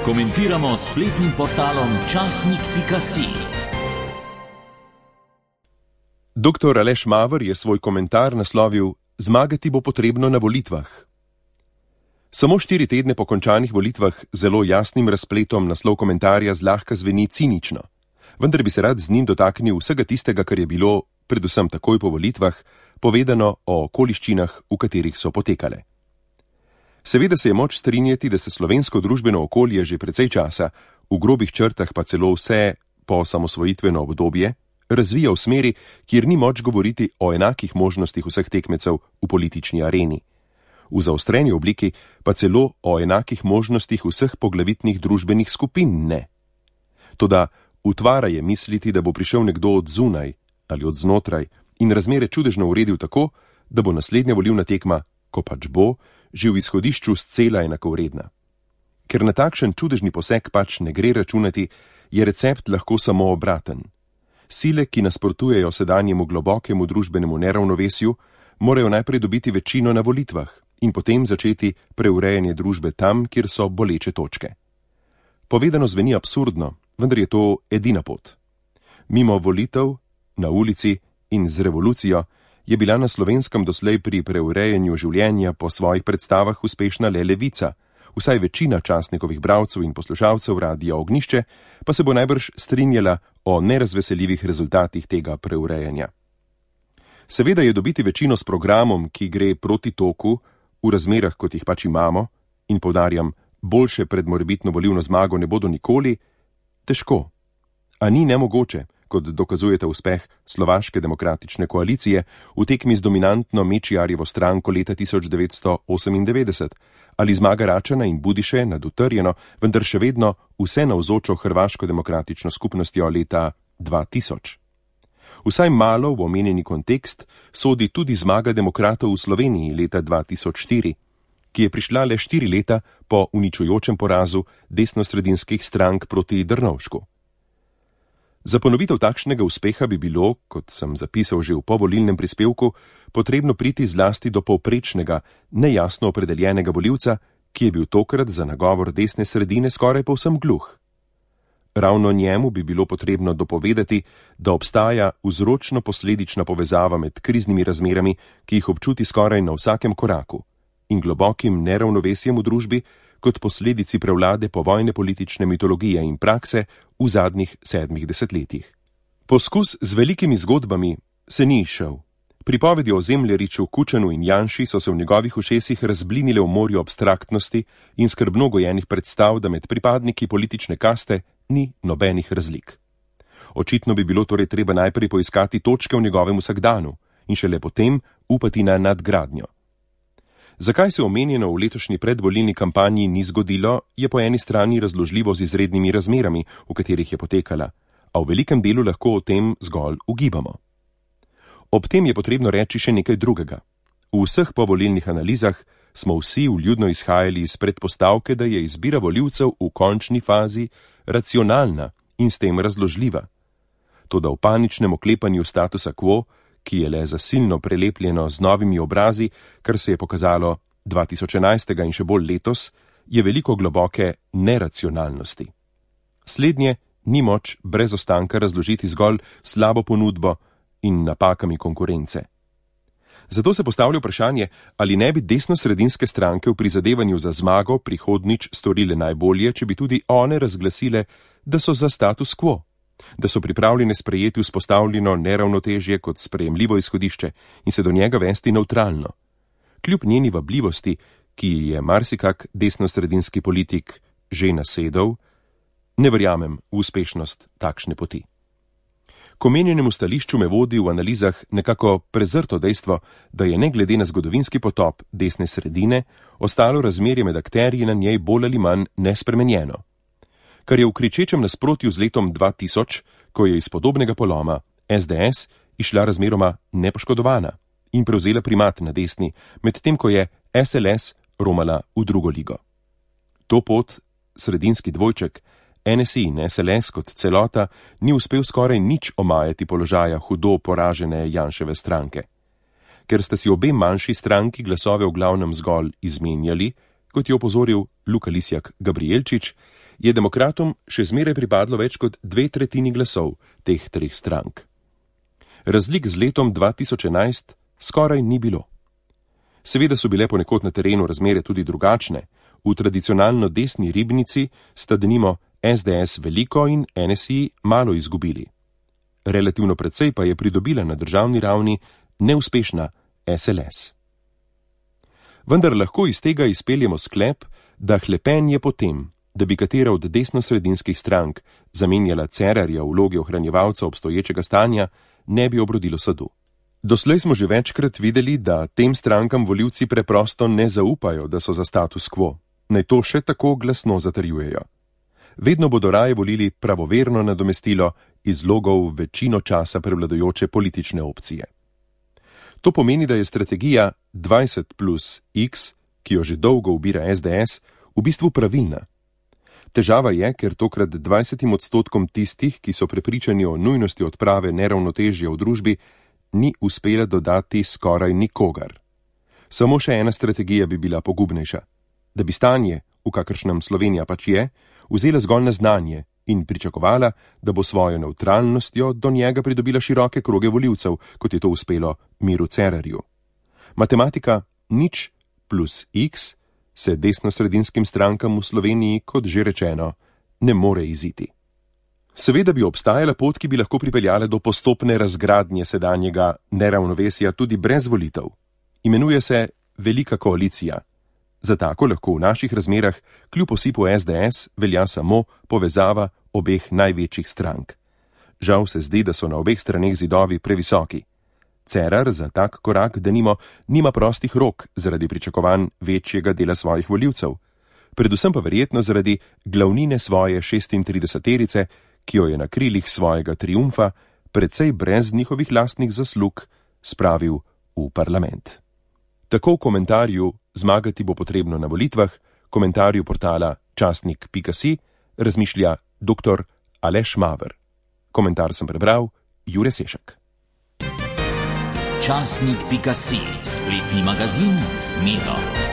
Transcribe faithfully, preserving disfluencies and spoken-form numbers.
Komentiramo s spletnim portalom časnik pika si. Doktor Aleš Maver je svoj komentar naslovil Zmagati bo potrebno na volitvah. Samo štiri tedne po končanih volitvah zelo jasnim razpletom naslov komentarja zlahka zveni cinično, vendar bi se rad z njim dotaknil vsega tistega, kar je bilo, predvsem takoj po volitvah, povedano o okoliščinah, v katerih so potekale. Seveda se je moč strinjati, da se slovensko družbeno okolje že precej časa, v grobih črtah pa celo vse po osamosvojitveno obdobje, razvija v smeri, kjer ni moč govoriti o enakih možnostih vseh tekmecev v politični areni. V zaostreni obliki pa celo o enakih možnostih vseh poglavitnih družbenih skupin ne. Toda utvara je misliti, da bo prišel nekdo od zunaj ali od znotraj in razmere čudežno uredil tako, da bo naslednja volilna tekma, ko pač bo, že v izhodišču scela enakovredna. Ker na takšen čudežni poseg pač ne gre računati, je recept lahko samo obraten. Sile, ki nasprotujejo sedanjemu globokemu družbenemu neravnovesju, morajo najprej dobiti večino na volitvah in potem začeti preurejanje družbe tam, kjer so boleče točke. Povedano zveni absurdno, vendar je to edina pot. Mimo volitev, na ulici in z revolucijo je bila na Slovenskem doslej pri preurejanju življenja po svojih predstavah uspešna le Levica, vsaj večina časnikovih bralcev in poslušalcev Radia Ognjišče pa se bo najbrž strinjala o nerazveseljivih rezultatih tega preurejanja. Seveda je dobiti večino s programom, ki gre proti toku, v razmerah, kot jih pač imamo, in poudarjam, boljše pred morebitno volilno zmago ne bodo nikoli, težko. A ni nemogoče, kot dokazujeta uspeh Slovaške demokratične koalicije v tekmi z dominantno Mečiarjevo stranko leta tisoč devetsto osemindevetdeset, ali zmaga Račana in Budiše nad utrjeno, vendar še vedno vse navzočo Hrvaško demokratično skupnostjo leta dva tisoč. Vsaj malo v omenjeni kontekst sodi tudi zmaga demokratov v Sloveniji leta dva tisoč štiri, ki je prišla le štiri leta po uničujočem porazu desnosredinskih strank proti Drnovšku. Za ponovitev takšnega uspeha bi bilo, kot sem zapisal že v povolilnem prispevku, potrebno priti zlasti do povprečnega, nejasno opredeljenega volivca, ki je bil tokrat za nagovor desne sredine skoraj povsem gluh. Ravno njemu bi bilo potrebno dopovedati, da obstaja vzročno-posledična povezava med kriznimi razmerami, ki jih občuti skoraj na vsakem koraku, in globokim neravnovesjem v družbi, kot posledici prevlade povojne politične mitologije in prakse v zadnjih sedmih desetletjih. Poskus z velikimi zgodbami se ni izšel. Pripovedi o Zemljariču, Kučanu in Janši so se v njegovih ušesih razblinile v morju abstraktnosti in skrbno gojenih predstav, da med pripadniki politične kaste ni nobenih razlik. Očitno bi bilo torej treba najprej poiskati točke v njegovem vsakdanu in šele potem upati na nadgradnjo. Zakaj se omenjeno v letošnji predvolilni kampanji ni zgodilo, je po eni strani razložljivo z izrednimi razmerami, v katerih je potekala, a v velikem delu lahko o tem zgolj ugibamo. Ob tem je potrebno reči še nekaj drugega. V vseh povolilnih analizah smo vsi vljudno izhajali iz predpostavke, da je izbira volivcev v končni fazi racionalna in s tem razložljiva. Toda v paničnem oklepanju statusa quo, ki je le zasilno prelepljeno z novimi obrazi, kar se je pokazalo dva tisoč enajst in še bolj letos, je veliko globoke neracionalnosti. Slednje ni moč brez ostanka razložiti zgolj slabo ponudbo in napakami konkurence. Zato se postavlja vprašanje, ali ne bi desnosredinske stranke v prizadevanju za zmago prihodnič storile najbolje, če bi tudi one razglasile, da so za status quo, da so pripravljene sprejeti vzpostavljeno neravnotežje kot sprejemljivo izhodišče in se do njega vesti nevtralno. Kljub njeni vabljivosti, ki je marsikak desnosredinski politik že nasedel, ne verjamem v uspešnost takšne poti. K omenjenemu stališču me vodi v analizah nekako prezrto dejstvo, da je ne glede na zgodovinski potop desne sredine ostalo razmerje med akterji na njej bolj ali manj nespremenjeno. Kar je v kričečem nasprotju z letom dva tisoč, ko je iz podobnega poloma es de es išla razmeroma nepoškodovana in prevzela primat na desni, medtem ko je es el es romala v drugo ligo. To pot, sredinski dvojček, en es i in es el es kot celota, ni uspel skoraj nič omajati položaja hudo poražene Janševe stranke. Ker sta si obe manjši stranki glasove v glavnem zgolj izmenjali, kot je opozoril Luka Lisjak Gabrielčič, je demokratom še zmeraj pripadlo več kot dve tretjini glasov teh treh strank. Razlik z letom dva tisoč enajst skoraj ni bilo. Seveda so bile ponekod na terenu razmere tudi drugačne. V tradicionalno desni Ribnici sta denimo es de es veliko in en es i malo izgubili. Relativno precej pa je pridobila na državni ravni neuspešna es el es. Vendar lahko iz tega izpeljemo sklep, da hlepenje po tem, da bi katera od desnosredinskih strank zamenjala Cerarja v vlogi ohranjevalca obstoječega stanja, ne bi obrodilo sadu. Doslej smo že večkrat videli, da tem strankam volivci preprosto ne zaupajo, da so za status quo, naj to še tako glasno zatrjujejo. Vedno bodo raje volili pravoverno nadomestilo iz logov večino časa prevladujoče politične opcije. To pomeni, da je strategija dvajset plus iks, ki jo že dolgo ubira es de es, v bistvu pravilna. Težava je, ker tokrat dvajsetim odstotkom tistih, ki so prepričani o nujnosti odprave neravnotežja v družbi, ni uspela dodati skoraj nikogar. Samo še ena strategija bi bila pogubnejša. Da bi stanje, v kakršnem Slovenija pač je, vzela zgolj na znanje in pričakovala, da bo svojo nevtralnostjo do njega pridobila široke kroge volivcev, kot je to uspelo Miru Cerarju. Matematika nič plus iks se desnosredinskim strankam v Sloveniji, kot že rečeno, ne more iziti. Seveda bi obstajala pot, ki bi lahko pripeljala do postopne razgradnje sedanjega neravnovesja tudi brez volitev. Imenuje se Velika koalicija. Za tako lahko v naših razmerah kljub osipu es de es velja samo povezava obeh največjih strank. Žal se zdi, da so na obeh straneh zidovi previsoki. Cerar za tak korak, denimo, nima prostih rok zaradi pričakovanj večjega dela svojih volivcev, predvsem pa verjetno zaradi glavnine svoje šestintrideseterice, ki jo je na krilih svojega triumfa, precej brez njihovih lastnih zaslug, spravil v parlament. Tako v komentarju Zmagati bo potrebno na volitvah, komentarju portala časnik pika si, razmišlja doktor Aleš Maver. Komentar sem prebral Jure Sešek. časnik pika si, spletni magazin z Miro.